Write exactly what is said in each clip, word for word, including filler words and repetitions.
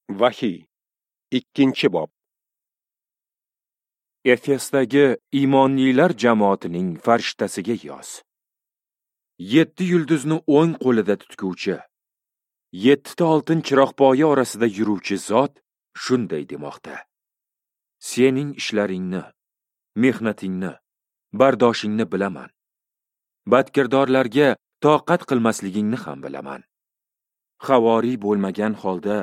Vahiy, ikkinchi bob. Efesdagi iymonlilar jamoatining farishtasiga yoz. Yetti yulduzni o'ng qo'lida tutguvchi, yettita oltin chiroqpoya orasida yuruvchi zot shunday demoqda: Sening ishlaringni, mehnatingni, bardoshingni bilaman. Badkirdorlarga toqat qilmasligingni ham bilaman. Havoriy bo'lmagan holda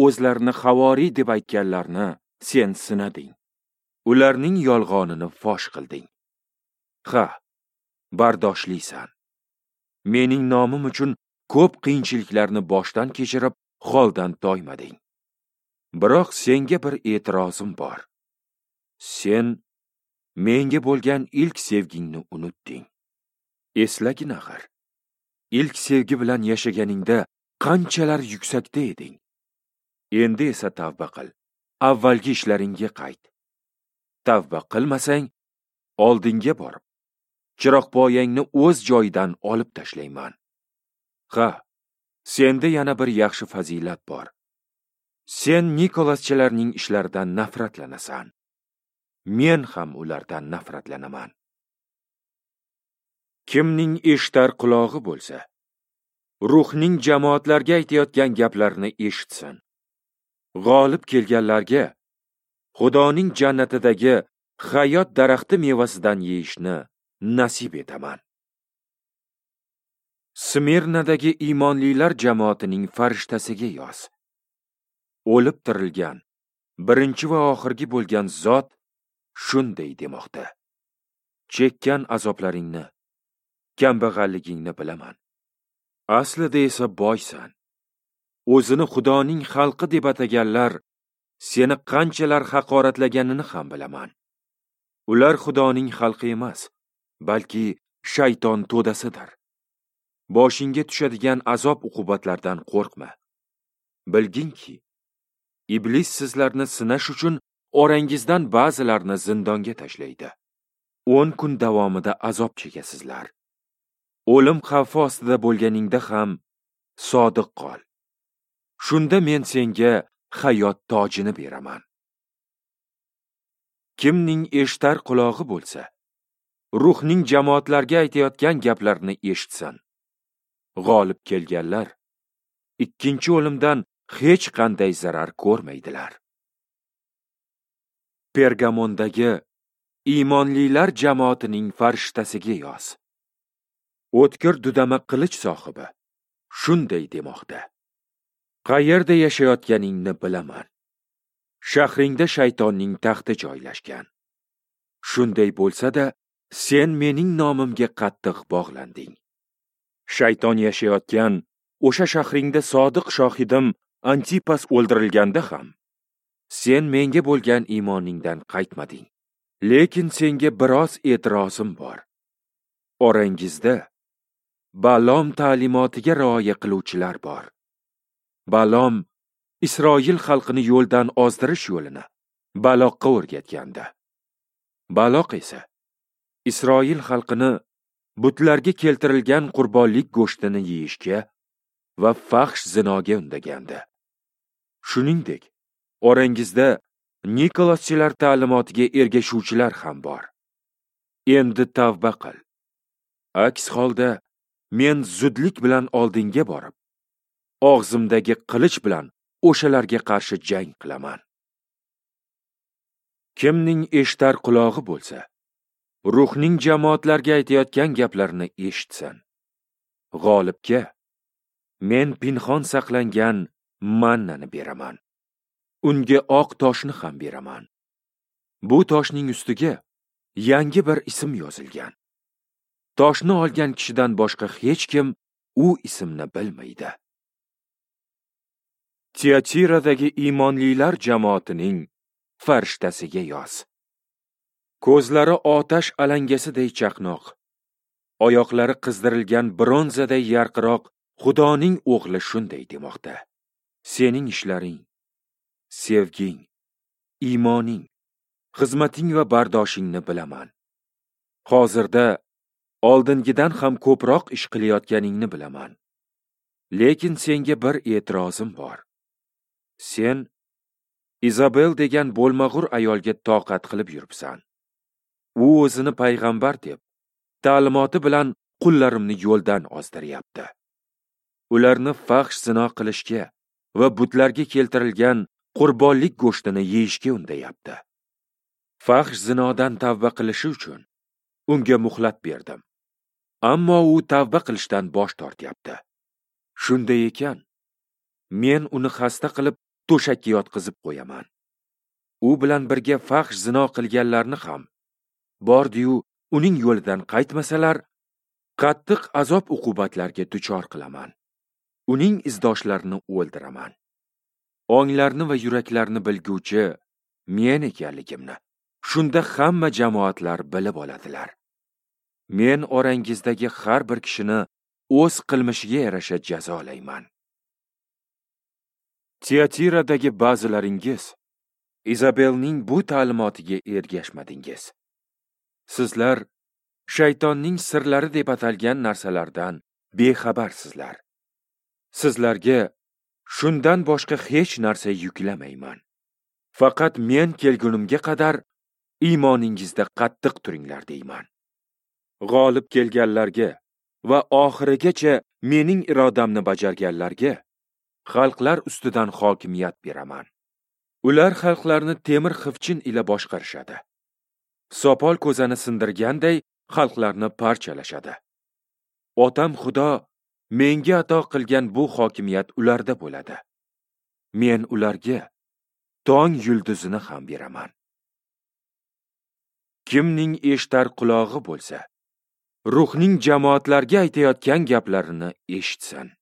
o'zlarini havoriy deb aytganlarni sen sinading. Ularning yolg'onini fosh qilding. Ha, bardoshlisan. Mening nomim uchun ko'p qiyinchiliklarni boshdan kechirib, holdan toymading. Biroq senga bir e'tirozim bor. Sen menga bo'lgan ilk sevgingni unutding. Eslagin axir. Ilk sevgi bilan yashaganingda qanchalar yuksakda eding. Endi esa tavba qil. Avvalgi ishlaringga qayt. Tavba qilmasang, oldinga borib, chiroqpoyangni o'z joyidan olib tashlayman. Ha, senda yana bir yaxshi fazilat bor. Sen Nikolaschilarning ishlaridan nafratlanasan. Men ham ulardan nafratlanaman. Kimning eshitar qulog'i bo'lsa, ruhning jamoatlarga aytayotgan gaplarini eshitsin. G'olib kelganlarga Xudoning jannatidagi hayot daraxti mevasidan yeyishni nasib etaman. Smirnadagi iymonlilar jamoatining farishtasiga yoz. O'lib tirilgan, birinchi va oxirgi bo'lgan zot shunday demoqda: Chekkan azoblaringni, kambag'alligingni bilaman. Aslida esa boysan. O'zini Xudoning xalqi deb ataganlar seni qanchalar haqoratlaganini ham bilaman. Ular Xudoning xalqi emas, balki shayton to'dasidir. Boshingga tushadigan azob-uqubatlardan qo'rqma. Bilginki, iblis sizlarni sinash uchun orangizdan ba'zilarini zindonga tashlaydi. o'n kun davomida azob chekasizlar. O'lim xavfi ostida bo'lganingda ham sodiq qol. Shunda men senga hayot tojini beraman. Kimning eshitar qulog'i bo'lsa, ruhning jamoatlarga aytayotgan gaplarini eshitsin. G'olib kelganlar ikkinchi o'limdan hech qanday zarar ko'rmaydilar. Pergamondagi iymonlilar jamoatining farishtasiga yoz. O'tkir dudama qilich sohibi shunday demoqda: Qayerda yashayotganingni bilaman. Shahringda shaytonning taxti joylashgan. Shunday bo'lsa-da, sen mening nomimga qattiq bog'landing. Shayton yashayotgan o'sha shahringda sodiq shohidim Antipas o'ldirilganda ham sen menga bo'lgan iymoningdan qaytmading. Lekin senga biroz e'tirozim bor. Orangizda Balom ta'limotiga rioya qiluvchilar bor. Balom Isroil xalqini yo'ldan ozdirish yo'lini Baloqqa o'rgatgandi. Baloq esa Isroil xalqini butlarga keltirilgan qurbonlik go'shtini yeyishga va fahsh zinoga undagandi. Shuningdek, orangizda Nikolaschilar ta'limotiga ergashuvchilar ham bor. Endi tavba qil. Aks holda men zudlik bilan oldinga borib, og'zimdagi qilich bilan o'shalarga qarshi jang qilaman. Kimning eshitar qulog'i bo'lsa, ruhning jamoatlarga aytayotgan gaplarini eshitsin. G'olibga men pinhon saqlangan mannani beraman. Unga oq toshni ham beraman. Bu toshning ustiga yangi bir ism yozilgan. Toshni olgan kishidan boshqa hech kim u ismni bilmaydi. Tiatiradagi iymonlilar jamoatining farishtasiga yoz. Ko'zlari otash alangasiday chaqnoq, oyoqlari qizdirilgan bronzaday yarqiroq Xudoning o'g'li shunday demoqda: Sening ishlaring, sevging, iymoning, xizmating va bardoshingni bilaman. Hozirda oldingidan ham ko'proq ish qilayotganingni bilaman. Lekin senga bir e'tirozim bor. Sen Izabel degan bo'lmag'ur ayolga toqat qilib yuribsan. U o'zini payg'ambar deb, ta'limoti bilan qullarimni yo'ldan ozdiryapti. Ularni fahsh zino qilishga va butlarga keltirilgan qurbonlik go'shtini yeyishga undayapti. Fahsh zinodan tavba qilishi uchun unga muhlat berdim. Ammo u tavba qilishdan bosh tortyapti. Shunday ekan, men uni xasta qilib to'shakka yotqizib qo'yaman. U bilan birga fahsh zino qilganlarni ham bordi-yu uning yo'lidan qaytmasalar, qattiq azob-uqubatlarga duchor qilaman. Uning izdoshlarini o'ldiraman. Onglarni va yuraklarni bilguvchi men ekanligimni shunda hamma jamoatlar bilib oladilar. Men orangizdagi har bir kishini o'z qilmishiga yarasha jazolayman. Tiatiradagi ba'zilaringiz Izabelning bu ta'limotiga ergashmadingiz. Sizlar shaytonning sirlari deb atalgan narsalardan bexabarsizlar. Sizlarga shundan boshqa hech narsa yuklamayman. Faqat men kelgunimga qadar iymoningizda qattiq turinglar deyman. G'olib kelganlarga va oxirigacha mening irodamni bajarganlarga xalqlar ustidan hokimiyat beraman. Ular xalqlarni temir xivchin ila boshqarishadi. Sopol ko'zani sindirganday xalqlarni parchalashadi. Otam Xudo menga ato qilgan bu hokimiyat ularda bo'ladi. Men ularga tong yulduzini ham beraman. Kimning eshitar qulog'i bo'lsa, Ruhning jamoatlarga aytayotgan gaplarini eshitsin.